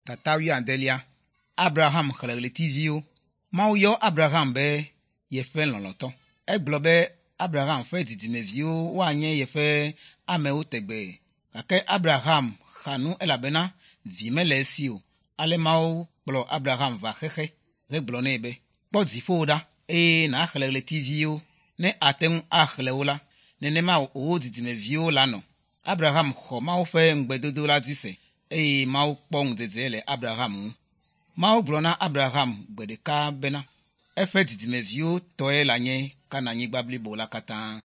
Tata wuiadelia. Abraham xlẽ ɣletiviwo. Mawu yɔ Abraham be yeƒe lɔlɔ̃tɔ. Egblɔ be Abraham ƒe dzidzimeviwo woanye yeƒe amewo tegbee. Gake Abraham xa nu elabena vi mele esi o. Ale Mawu kplɔ Abraham va xexe hegblɔ nɛ be, kpɔ dziƒo ɖa eye nàxlẽ ɣletiviwo. Ne ate ŋu axlẽ wo la, nenema wò dzidzimeviwo lanɔ. Abraham xɔ Mawu ƒe ŋugbedodo la dzi se eye Mawu kpɔ ŋudzedze le Abraham ŋu. Mawu gblɔ na Abraham gbe ɖeka bena eƒe dzidzimeviwo tɔe lanye Kananyigba blibo la katã.